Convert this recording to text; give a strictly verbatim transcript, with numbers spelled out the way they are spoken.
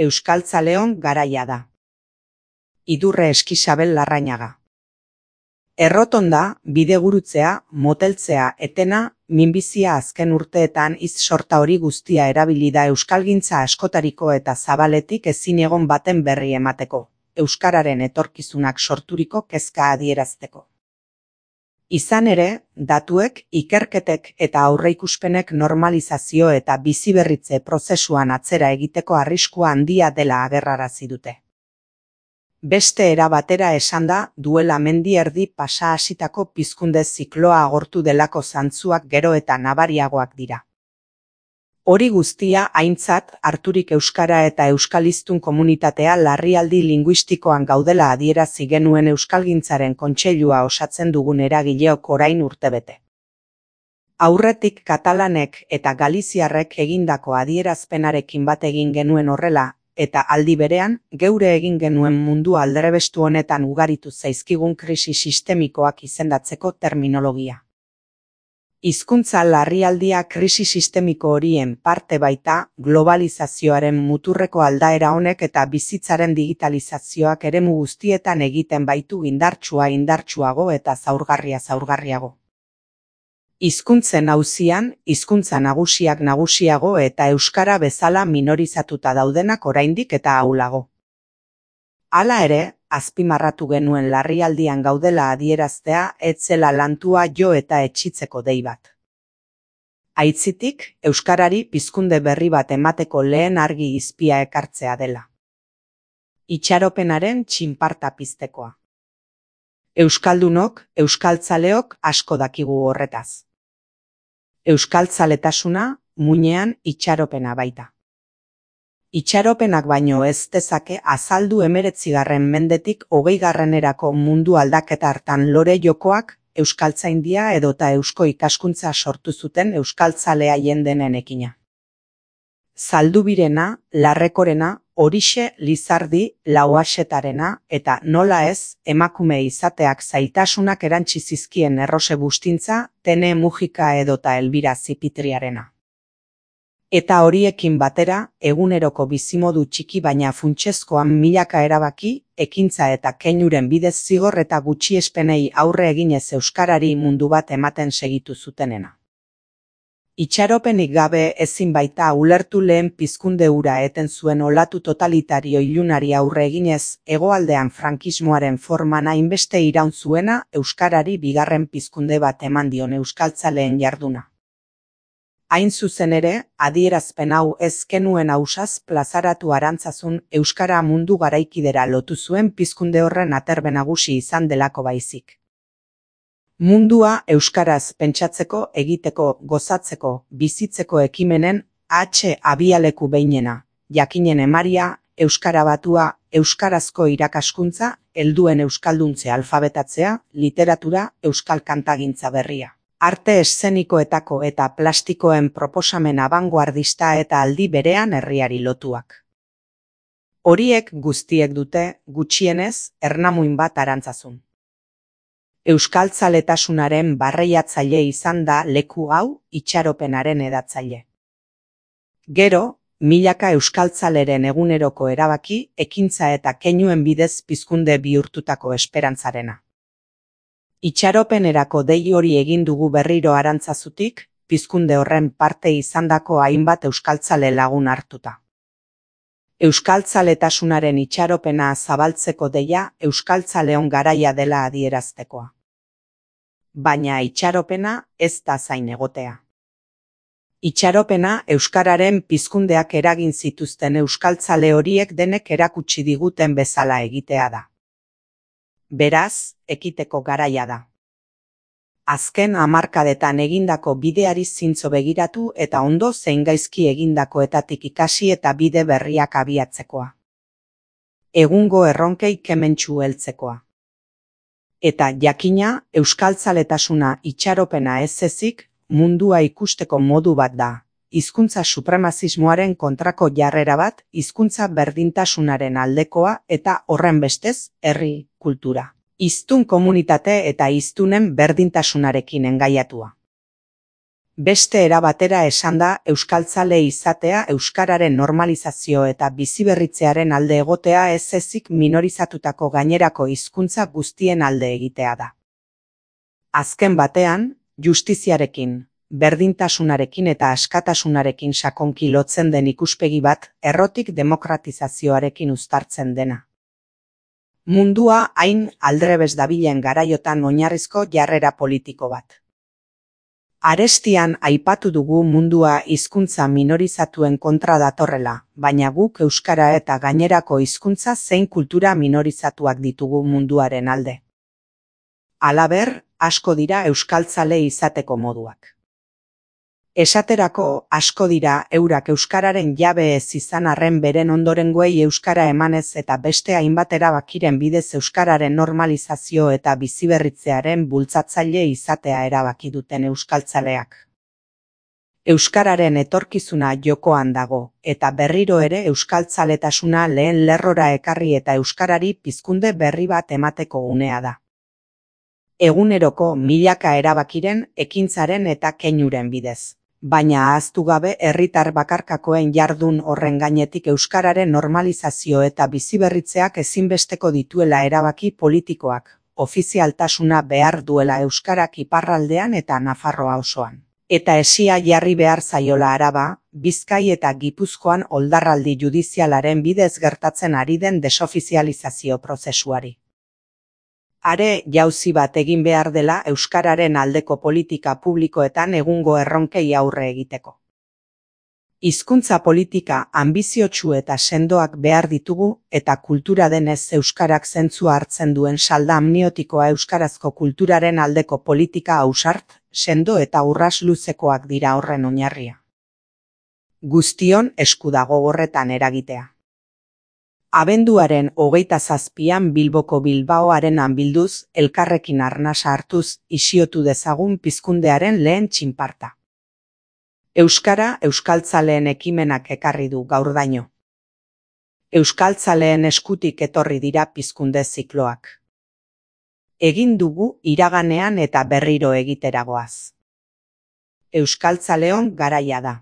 Euskaltzaleon garaia da. Idurre Eskisabel Larrañaga. Errotonda, bidegurutzea, moteltzea etena, minbizia azken urteetan iz sorta hori guztia erabili da euskalgintza askotariko eta zabaletik ezin egon baten berri emateko, euskararen etorkizunak sorturiko kezka adierazteko. Izan ere, datuek, ikerketek eta aurreikuspenek normalizazio eta biziberritze prozesuan atzera egiteko arriskua handia dela agerrarazi dute. Beste era batera esanda, duela mendi erdi pasa hasitako pizkunde zikloa agortu delako zantzuak gero eta nabariagoak dira. Hori guztia aintzat harturik euskara eta euskaliztun komunitatea larrialdi linguistikoan gaudela adierazi genuen Euskalgintzaren kontseilua osatzen dugun eragileok orain urtebete. Aurretik katalanek eta galiziarrek egindako adierazpenarekin bat egin genuen horrela, eta aldi berean, geure egin genuen mundu aldrebestu honetan ugaritu zaizkigun krisi sistemikoak izendatzeko terminologia. Hizkuntza larrialdia krisi sistemiko horien parte baita, globalizazioaren muturreko aldaera honek eta bizitzaren digitalizazioak eremu guztietan egiten baitu indartsua indartsuago eta zaurgarria zaurgarriago. Hizkuntzen auzian, hizkuntza nagusiak nagusiago eta euskara bezala minorizatuta daudenak oraindik eta ahulago. Hala ere, azpimarratu genuen larrialdian gaudela adieraztea ez zela lantua jo eta etxitzeko dei bat. Aitzitik, euskarari pizkunde berri bat emateko lehen argi izpia ekartzea dela. Itxaropenaren txinparta piztekoa. Euskaldunok, euskaltzaleok asko dakigu horretaz. Euskaltzaletasuna, muinean itxaropena baita. Itxaropenak baino ez dezake azaldu hemeretzigarren mendetik hogeigarrenerako mundu aldaketa hartan lore jokoak, euskaltzaindia edota eusko ikaskuntza sortu zuten euskaltzalea jendenenekina. Zaldubirena, Larrekorena, Horixe, Lizardi, Lauaxetarena eta nola ez, emakume izateak zaitasunak erantsi zizkien Errose Bustintza, Tene Mujika edota Elbira Zipitriarena. Eta horiekin batera, eguneroko bizimodu txiki baina funtsezkoan milaka erabaki, ekintza eta keinuren bidez zigor eta gutxiespenei aurre eginez euskarari mundu bat ematen segitu zutenena. Itxaropenik gabe ezin baita ulertu lehen pizkunde hura eten zuen olatu totalitario ilunari aurre eginez, hegoaldean frankismoaren forman hainbeste iraun zuena euskarari bigarren pizkunde bat eman dion euskaltzaleen jarduna. Hain zuzen ere, adierazpen hau ez genuen ausaz plazaratu arantzazun euskara mundu garaikidera lotu zuen pizkunde horren aterbe nagusi izan delako baizik. Mundua euskaraz pentsatzeko, egiteko, gozatzeko, bizitzeko ekimenen H abialeku behinena, jakinen emaria, euskara batua, euskarazko irakaskuntza, helduen euskalduntze alfabetatzea, literatura, euskal kantagintza berria. Arte eszenikoetako eta plastikoen proposamen abangoardista eta aldi berean herriari lotuak. Horiek guztiek dute, gutxienez, ernamuin bat arantzazun. Euskaltzaletasunaren barreiatzaile izan da leku hau itxaropenaren edatzaile. Gero, milaka euskaltzaleren eguneroko erabaki, ekintza eta keinuen bidez pizkunde bihurtutako esperantzarena. Itxaropenerako dei hori egin dugu berriro arantzazutik, pizkunde horren parte izandako hainbat euskaltzale lagun hartuta. Euskaltzaletasunaren itxaropena zabaltzeko deia euskaltzaleon garaia dela adieraztekoa. Baina itxaropena ez da zain egotea. Itxaropena euskararen pizkundeak eragin zituzten euskaltzale horiek denek erakutsi diguten bezala egitea da. Beraz, ekiteko garaia da. Azken hamarkadetan egindako bideari zintzo begiratu eta ondo zein gaizki egindakoetatik ikasi eta bide berriak abiatzekoa. Egungo erronkei kementsu heltzekoa. Eta jakina, euskaltzaletasuna itxaropena ez ezik, mundua ikusteko modu bat da. Hizkuntza supremazismoaren kontrako jarrera bat, hizkuntza berdintasunaren aldekoa eta horren bestez, herri, kultura. Hiztun komunitate eta hiztunen berdintasunarekin engaiatua. Beste era batera esanda, euskaltzale izatea euskararen normalizazio eta biziberritzearen alde egotea ez ezik minorizatutako gainerako hizkuntza guztien alde egitea da. Azken batean, justiziarekin, berdintasunarekin eta askatasunarekin sakonki lotzen den ikuspegi bat, errotik demokratizazioarekin uztartzen dena. Mundua hain aldrebes dabilen garaiotan oinarrizko jarrera politiko bat. Arestian aipatu dugu mundua hizkuntza minorizatuen kontra datorrela, baina guk euskara eta gainerako hizkuntza zein kultura minorizatuak ditugu munduaren alde. Halaber, asko dira euskaltzale izateko moduak. Esaterako, asko dira eurak euskararen jabe ez izan arren beren ondorengoei euskara emanez eta beste hainbat erabakiren bidez euskararen normalizazio eta biziberritzearen bultzatzaile izatea erabaki duten euskaltzaleak. Euskararen etorkizuna jokoan dago, eta berriro ere euskaltzaletasuna lehen lerrora ekarri eta euskarari pizkunde berri bat emateko unea da. Eguneroko milaka erabakiren, ekintzaren eta keinuren bidez. Baina ahaztu gabe herritar bakarkakoen jardun horren gainetik euskararen normalizazio eta biziberritzeak ezinbesteko dituela erabaki politikoak, ofizialtasuna behar duela euskarak iparraldean eta Nafarroa osoan. Eta esia jarri behar zaiola Araba, Bizkai eta Gipuzkoan oldarraldi judizialaren bidez gertatzen ari den desofizializazio prozesuari. Are jauzi bat egin behar dela euskararen aldeko politika publikoetan egungo erronkei aurre egiteko. Hizkuntza politika anbiziotsu eta sendoak behar ditugu eta kultura denez euskarak zentzua hartzen duen salda amniotikoa euskarazko kulturaren aldeko politika ausart, sendo eta urras luzekoak dira horren oinarria. Guztion esku dago horretan eragitea. Abenduaren hogeita zazpian Bilboko Bilbaoarenan bilduz, elkarrekin arnasa hartuz, isiotu dezagun pizkundearen lehen txinparta. Euskara euskaltzaleen ekimenak ekarri du gaurdaino. Euskaltzaleen eskutik etorri dira pizkunde zikloak. Egin dugu iraganean eta berriro egiteragoaz. Euskaltzaleon garaia da.